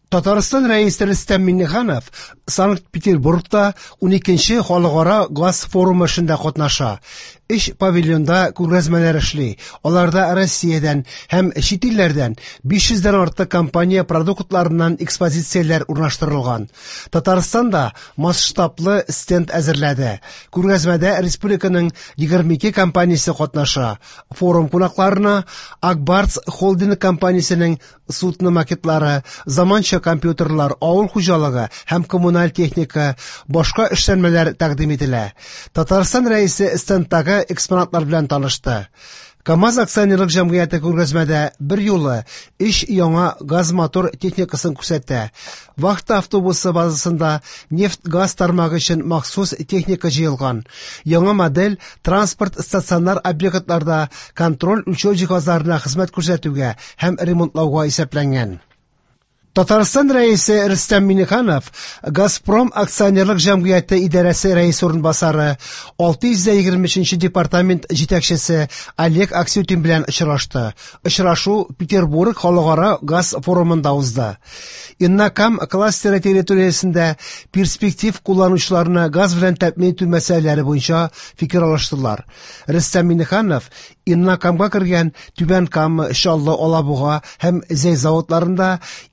Татарстан Рәисе Рөстәм Миңнеханов Санкт-Петербургта 12нче халыкара газ форумы эшендә катнаша. Өч павильонда күргәзмәләр эшли. Аларда Россиядән һәм чит илләрдән 500 дән артык компания продуктларыннан экспозицияләр урнаштырылган. Татарстан да масштаблы стенд әзерләде. Күргәзмәдә республиканың 22 компаниясе катнаша. Форум кунакларына Ак Барс холдинг компаниясенең судно макетлары, заманча компьютерлар, авыл хуҗалыгы һәм коммуналь техника, башка эшләнмәләр тәкъдим ителә. Татарстан Рәисе стендтагы экспонатлар белән танышты. КАМАЗ акционерлык җәмгыяте күргәзмәдә бер юлы өч яңа газ-мотор техникасын күрсәтә. Вахта автобусы базасында нефть-газ тармагы өчен махсус техника җыелган. Яңа модель транспорт стационар объектларда контроль-үлчәү җиһазларына хезмәт күрсәтүгә һәм ремонтлауга исәпләнгән. Татарстан Рәисе Рөстәм Миңнеханов Газпром акционерлык җәмгыяте идарәсе рәисе урынбасары, 623 департамент җитәкчесе Олег Аксютин белән очрашты. Очрашу Петербург халыкара газ форумында узды. Иннокам кластеры территориясендә перспектив кулланучыларны газ белән тәэмин итү мәсьәләләре буенча фикер алыштылар. Рөстәм Миңнеханов Иннокамга кергән Түбән Кама, Чаллы, Алабуга һәм Зәй заводларында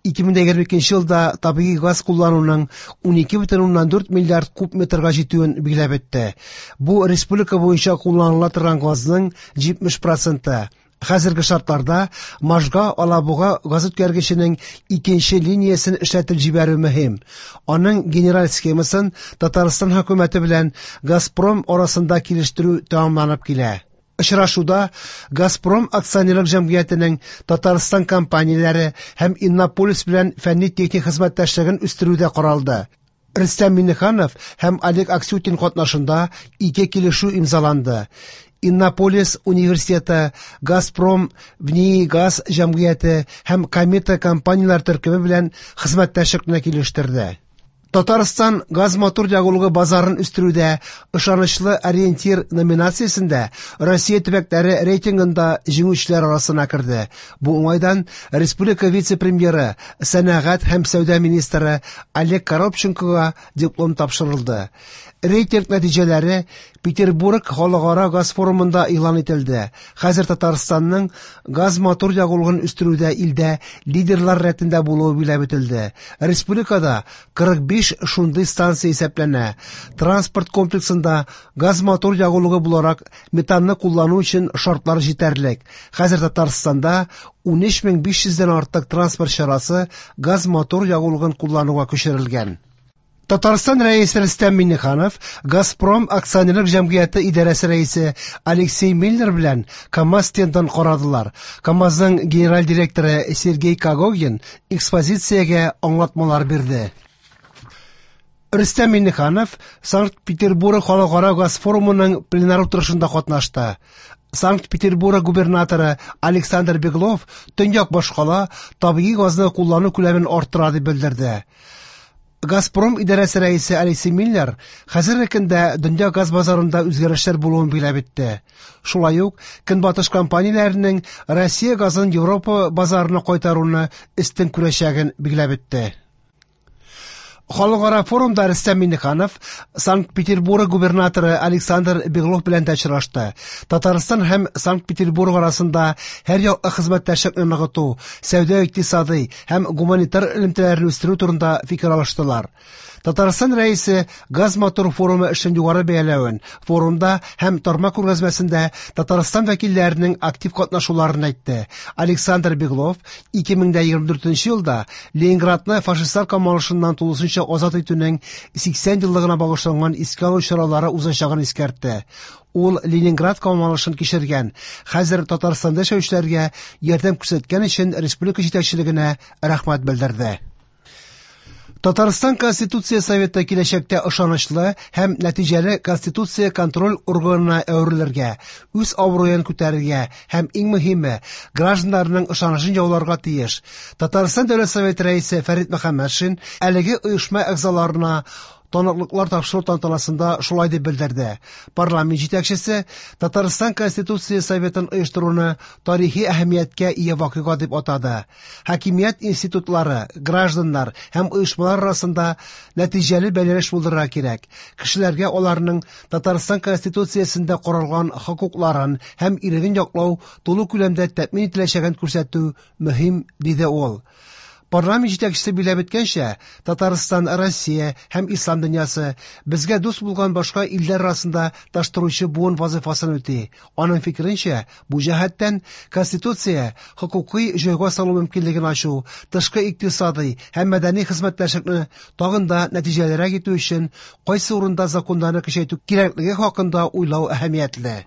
2022 елда табигый газ куллануның 12,4 миллиард куб метрга җитүен билгеләп үтте. Бу республика буенча кулланыла торган газның 70 проценты. Хәзерге шартларда Можга Алабуга газүткәргеченең икенче линиясен эшләтеп җибәрү мөһим. Аның генераль схемасын Татарстан хөкүмәте белән Газпром арасында килештерү тәмамланып килә. Очрашуда Газпром акционерлык җәмгыятенең Татарстан компанияләре һәм Иннополис белән фәнни-техник хезмәттәшлеген үстерү дә каралды. Рөстәм Миңнеханов һәм Олег Аксютин катнашында ике килешү имзаланды. Иннополис университеты, Газпром ВНИИГАЗ җәмгыяте һәм Комета компанияләр төркеме белән хезмәттәшлекне килештерде. Татарстан газ-мотор ягулыгы базарын үстерүдә ышанычлы ориентир номинациясендә Россия төбәкләре рейтингында җиңүчеләр арасына керде. Бу уңайдан республика вице-премьеры, сәнәгать һәм сәүдә министры Олег Коробченкога диплом тапшырылды. Рейтинг нәтиҗәләре Петербург халыкара газ форумында игълан ителде. Хәзер Татарстанның газ-мотор ягулыгын үстерүдә илдә лидерлар рәтендә булуы билгеләп үтелде. Республикада 45 шундый станция исәпләнә. Транспорт комплексында газ-мотор ягулыгы буларак метанны куллану өчен шартлар җитәрлек. Хәзер Татарстанда 13500 дән артык транспорт чарасы газ-мотор ягулыгын куллануга күчерелгән. Татарстан Рәисе Рөстәм Миңнеханов Газпром акционерлык җәмгыяте идарәсе рәисе Алексей Миллер белән КАМАЗ стендын карадылар. КАМАЗның генераль директоры Сергей Когогин экспозициягә аңлатмалар бирде. Рөстәм Миңнеханов Санкт-Петербург халыкара газ форумының пленар утырышында катнашты. Санкт-Петербург губернаторы Александр Беглов төньяк башкала табигый газны куллану күләмен арттыра дип белдерде. Газпром идарәсе рәисе Алексей Миллер хәзерге көндә дөнья газ базарында үзгәрешләр булуын билгеләп үтте. Шулай ук Көнбатыш компанияләренең Россия газын Европа базарына кайтаруны өстен күрәчәген билгеләп үтте. Халыкара форумда Рөстәм Миңнеханов Санкт-Петербург губернаторы Александр Беглов белән дә очрашты. Татарстан һәм Санкт-Петербург арасында һәр яклы хезмәттәшлекне ныгыту, сәүдә-икътисадый һәм гуманитар элемтәләрне үстерү турында фикер алыштылар. Татарстан Рәисе Газ-мотор форумы эшен югары бәяләвен, форумда һәм тармак күргәзмәсендә Татарстан вәкилләренең актив катнашуларын әйтте. Александр Беглов 2024 елда Ленинградны фашистлар камалышыннан тулысынча азат итүнең 80 еллыгына багышланган искә алу чаралары узачагын искәртте. Ул Ленинград камалышын кичергән, хәзер Татарстанда яшәүчеләргә ярдәм күрсәткән өчен республика җитәкчелегенә рәхмәт белдерде. Татарстан Конституция Советы киләчәктә ышанычлы һәм нәтиҗәле конституция контроль органына әверелергә, үз абруен күтәрергә һәм иң мөһиме, гражданнарның ышанычын яуларга тиеш. Татарстан Дәүләт Советы рәисе Фәрит Мөхәммәтшин әлеге оешма әгъзаларына Таныклыклар тапшыру тантанасында шулай дип белдерде. Парламент җитәкчесе Татарстан Конституция Советын оештыруны тарихи әһәмияткә ия вакыйга дип атады. Хакимият институтлары, гражданнар һәм оешмалар арасында нәтиҗәле бәйләнеш булдырырга кирәк. Кешеләргә аларның Татарстан Конституциясендә каралган хокукларын һәм иреген яклау тулы күләмдә тәэмин ителәчәген күрсәтү мөһим, диде ул. Парламент җитәкчесе билгеләп үткәнчә, Татарстан, Россия һәм ислам дөньясы безгә дус булган башка илләр арасында таштыручы буын вазифасын үти. Аның фикеренчә, бу җәһәттән Конституция хокукый җайга салу мөмкинлеген ачу, тышкы икътисадый һәм мәдәни хезмәттәшлекне тагын да нәтиҗәлерәк итү өчен кайсы урында законнарны көчәйтү кирәклеге хакында уйлау әһәмиятле.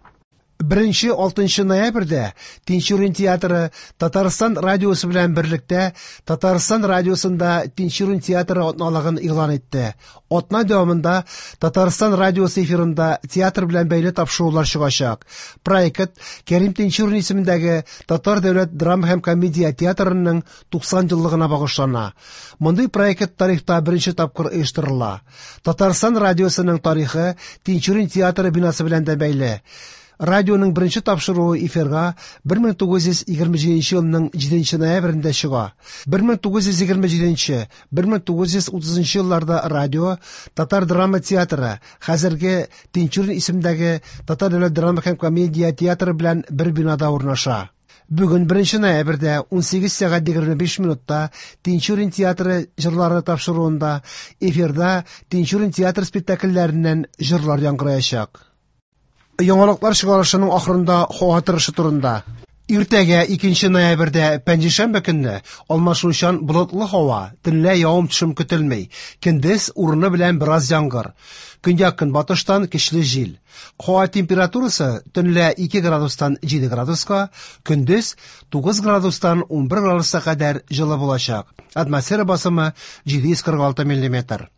1-6 ноябрьдә Тинчурин театры Татарстан радиосы белән берлектә Татарстан радиосында Тинчурин театры атналыгын игълан итте. Атна дәвамында Татарстан радиосы эфирында театр белән бәйле тапшырулар чыгачак. Проект Кәрим Тинчурин исемендәге Татар дәүләт драма һәм комедия театрының 90 еллыгына багышлана. Мондый проект тарихта беренче тапкыр оештырыла. Татарстан радиосының тарихы Тинчурин театры бинасы белән дә бәйле. Радионың беренче тапшыруы эфирга 1927 елның 7 ноябрендә чыга. 1927-1930 елларда радио Татар драма театры, хәзерге Тинчурин исемендәге Татар дәүләт драма һәм комедия театры белән бер бинада урнаша. Бүген 1 ноябрьдә 18 сәгать 25 минутта Тинчурин театры җырлары тапшыруында эфирда Тинчурин театр спектакльләреннән җырлар яңгыраячак. Яңалыклар чыгарышының ахырында һава торышы турында. Иртәгә 2 ноябрьдә пәнҗешәмбе көнне алмашынучан болытлы һава, төнлә явым-төшем көтелми. Көндез урыны белән бераз яңгыр. Көньяк-көнбатыштан көчле җил. Һава температурасы төнлә 2 градустан 7 градуска, көндез 9 градустан 11 градуска кадәр җылы булачак. Атмосфера басымы 746 миллиметр.